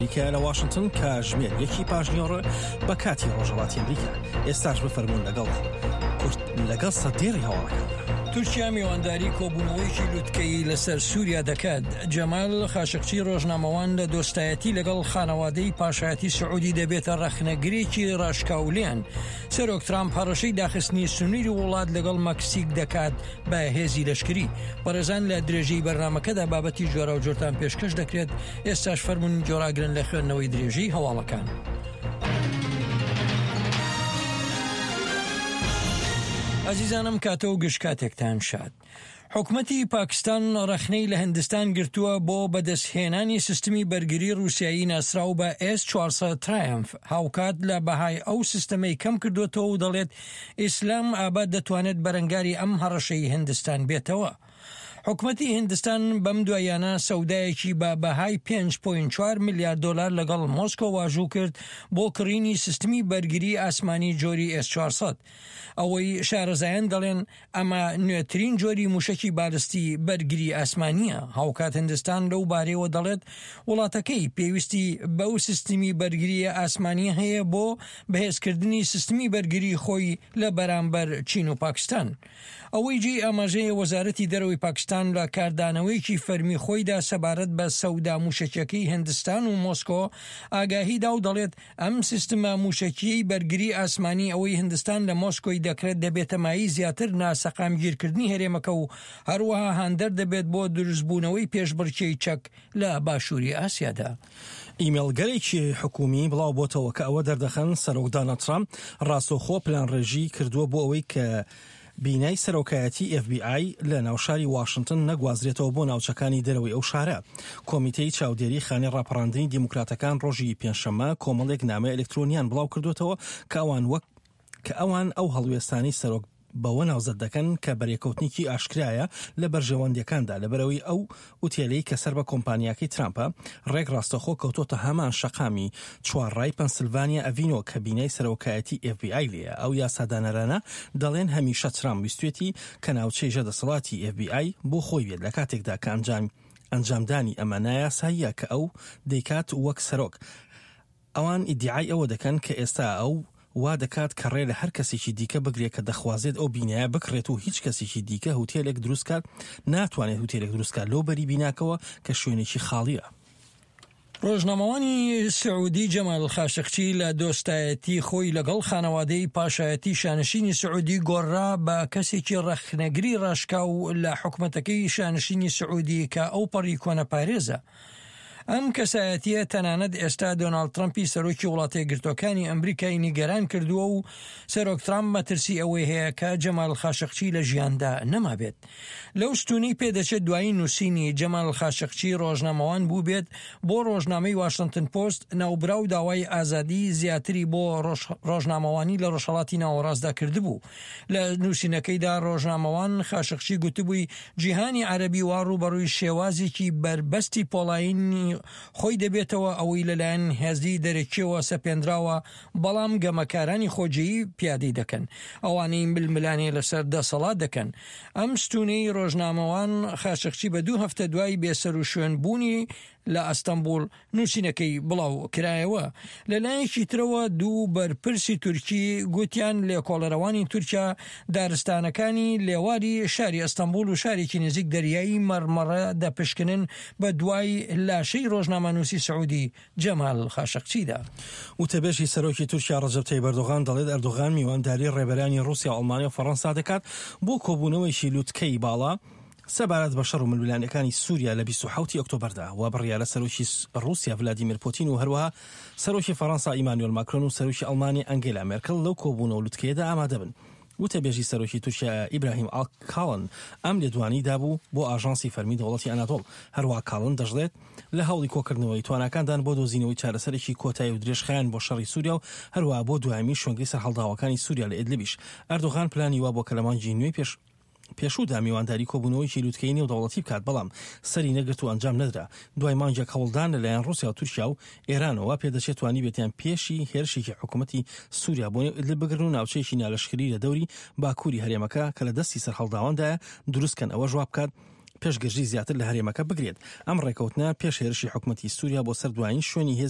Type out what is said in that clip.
ئەمریکایە لە واشنتن کاژمێر یەکی پاشنیۆڕ بە کاتی ڕۆژهەڵاتی ئەمریکا ئێستاش بفەرمونون لەگەڵ کورت لەگەڵ سەدێڕی هەواڵەکاندا. تورکیا میوانداری کۆبوونەوەیەکی لوتکەیی لەسەر سووریا دەکات. جەمال خاشقچی ڕۆژنامەوان لە دۆستایەتی لەگەڵ خانەوادەی پاشایەتی سعودی دەبێتە ڕەخنەگرێکی ڕاشکاو لێیان. سەرۆک ترامپ هەڕەشەی داخستنی سنووری وڵات لەگەڵ مەکسیک دەکات بە هێزی لەشکری. بەڕێزان لە درێژەی بەرنامەکەدا بابەتی جۆراوجۆرتان پێشکەش دەکرێت، ئێستاش فەرموون گۆڕاگرن لە خوێندنەوەی درێژەی هەواڵەکان. ئازیزانم کاتە و گشت کاتێکتان شاد. حکومەتی پاکستان ڕەخنەی لە هندستان گرتووە بۆ بەدەستهێنانی سیستمی بەرگری ڕووسیایی ناسراو بە ئێس 400 ترایەمف، هاوکات لە بەهای ئەو سیستەمەی کەم کردووەتەوە و دەڵێت ئیسلام ئاباد دەتوانێت بەرەنگاری ئەم هەڕەشەی هندستان بێتەوە. حکومەتی هندستان بەم دواییانە سەودایەکی بە بەهای 5.4 ملیار دۆلار لەگەڵ مۆسکۆ واژوو کرد بۆ کڕینی سیستمی بەرگری ئاسمانی جۆری ئێس 400. ئەوەی شارەزایان دەڵێن ئەمە نوێترین جۆری موشەکی بالستی بەرگری ئاسمانییە. هاوکات هندستان لەو بارەیەوە دەڵێت وڵاتەکەی پێویستی بەو سیستمی بەرگرییە ئاسمانییە هەیە بۆ بەهێزکردنی سیستمی بەرگری خۆی لە بەرامبەر چین و پاکستان. ئەوەی جێی ئاماژەیە وەزارەتی دەرەوەی پاکستان لە کاردانەوەیەکی فەرمی خۆیدا سەبارەت بە سەودا موشەکیەکەی هندستان و مۆسکۆ ئاگاهی دا و دەڵێت ئەم سیستمە موشەکیەی بەرگری ئاسمانی ئەوەی هندستان لە مۆسکۆی دەکرێت دەبێتە مایەی زیاتر ناسەقامگیرکردنی هەرێمەکە و هەروەها هاندەر دەبێت بۆ دروستبوونەوەی پێشبڕکێی چەک لە باشووری ئاسیادا. ئیمێڵگەلێکی حکوومی بڵاو بۆتەوە کە ئەوە دەردەخەن سەرۆک داناڵد ترامپ ڕاستەوخۆ پلانڕێژی کردووە بۆ ئەوەی کە بینای سەرۆکایەتی ئێف بی ئای لە ناوشاری واشنتن نەگوازرێتەوە بۆ ناوچەکانی دەرەوەی ئەو شارە. کۆمیتەی چاودێری خانەی ڕاپەڕاندنی دیموکراتەکان ڕۆژی پێنجشەممە کۆمەڵێک نامەی ئەلکترۆنیان بڵاو کردووەتەوە کە ئەوان وەک کە ئەوان ئەو هەڵوێستانەی سەرۆک بەوە ناوزەد دەکەن کە بەرێکەوتنێکی ئاشکرایە لە بەرژەوەندیەکاندا لەبەرئەوەی ئەو ئوتێلەی کە سەر بە کۆمپانیاکەی ترامپە ڕێک ڕاستەخۆ کەوتۆتە هەمان شەقامی چوارڕای پەنسلڤانیا ئەڤینۆ کە بینای سەرۆکایەتی ئێف بی ئای لێیە. ئەو یاسادانەرانە دەڵێن هەمیشە ترامپ ویستوێتی کە ناوچەی ژێر دەسەڵاتی ئێف بی ئای بۆ خۆی بێت لە کاتێکدا کە ئەنجام ئەنجامدانی ئەمە نایاساییە کە ئەو دەیکات وەک سەرۆک. ئەوان ئیدیعای ئەوە دەکەن کە ئێستا ئەو وا دەکات کە ڕێ لە هەر کەسێکی دیکە بگرێت کە دەخوازێت ئەو بینایە بکڕێت و هیچ کەسێکی دیکە هوتێلێک دروست کات ناتوانێت هوتێلێک دروست کات لەو بەری بیناکەوە کە شوێنێکی خاڵیە. ڕۆژنامەوانی سعودی جەمال خاشقچی لە دۆستایەتی خۆی لەگەڵ خانەوادەی پاشایەتی شانشینی سعودی گۆڕرا بە کەسێکی ڕەخنەگری ڕاشکاو لە حکومەتەکەی شانشینی سعودی کە ئەوپەڕی کۆنەپارێزە. ئەم کەسایەتییە تەنانەت ئێستا دۆناڵد ترەمپی سەرۆکی وڵاتەیەکگرتووەکانی ئەمریکای نیگەران کردووە و سەرۆک ترامپ مەترسی ئەوەی هەیە کە جەمال خاشقچی لە ژیاندا نەمابێت. لەو ستوونەی پێدەچێت دوایین نووسینی جەمال خاشقچی ڕۆژنامەوان بووبێت بۆ ڕۆژنامەی واشنتن پۆست، ناوبراو داوای ئازادی زیاتری بۆ ڕۆژنامەوانی لە ڕۆژهەڵاتی ناوەڕاستدا کردبوو. لە نووسینەکەیدا ڕۆژنامەوان خاشقچی گوتبووی جیهانی عەرەبی وا ڕووبەڕووی شێوازێکی بەربەستی پۆڵایینی خۆی دەبێتەوە ئەوەی لەلایەن هێزی دەرەکیەوە سەپێنراوە بەڵام گەمەکارانی خۆجێیی پیادەی دەکەن ئەوانەی ململانێ لەسەر دەسەڵات دەکەن. ئەم ستوونەی ڕۆژنامەوان خاشقچی بە دوو هەفتە دوای بێسەروشوێن بوونی لە ئەستەنبوڵ نووسینەکەی بڵاو کرایەوە. لە لایەکی ترەوە دوو بەرپرسی تورکی گوتیان لێکۆڵەرەوانی تورکیا دارستانەکانی لێواری شاری ئەستەنبوڵ و شارێکی نزیک دەریای مەڕمەڕە دەپشکنن بە دوای لاشەی ڕۆژنامەنووسی سعودی جەمال خاشقچیدا. وتەبێژی سەرۆکی تورکیا ڕەجەب تەیب ئەردۆغان دەڵێت ئەردۆغان میوانداری ڕێبەرانی ڕووسیا و ئەڵمانیا و فەڕەنسا دەکات بۆ کۆبوونەوەیەکی لوتکەی باڵا سەبارەت بە شەڕ و ململانێکانی سووریا لە 27 ئۆکتۆبەردا و بڕیارە سەرۆکی ڕووسیا ڤلادیمیر پوتین و هەروەها سەرۆکی فەڕەنسا ئیمانوێل ماکرۆن و سەرۆکی ئەڵمانیا ئەنگێلا مێرکڵ لەو کۆبوونەوە لوتکەیەدا ئامادە بن. وتەبێژی سەرۆکی تورکیا ئیبراهیم کاڵن ئەم لێدوانەی دابوو بۆ ئاژانسی فەرمی دەوڵەتی ئەنادۆڵ. هەروەها کاڵن دەشڵێت، لە هەوڵی کۆکردنەوەی تواناکاندان بۆ دۆزینەوەی چارەسەرێکی کۆتایی و درێژخایەن بۆ شەڕی سووریا و هەروەها بۆ دوایەمین شوێنگەی سەرهەڵداوەکانی سووریا لە ئیدلبیش. ئەردۆغان پلانی وابووە کە لە مانگی نوێی پێش پێشوودا میوانداری کۆبوونەوەیەکی لوتکەیی نێودەوڵەتی بکات، بەڵام سەری نەگرت و ئەنجام نەدرا. دوای مانگێک هەوڵدان لەلایەن ڕووسیا و تورکیا و ئێرانەوە، وا پێدەچێت توانیبێتیان پێشی هێرشێکی حکومەتی سووریا بۆ نێو ئیدلب بگرن و ناوچەیەکی نالەشکری لە دەوری باکووری هەرێمەکە کە لە دەستی سەرهەڵداواندایە دروست کەن، ئەوەش وا بکات پێش گرژی زیاتر لە هەرێمەکە بگرێت. ئەم ڕێکەوتنە پێش هێرشی حکومەتی سووریا بۆ سەر دوایین شوێنی هێزی.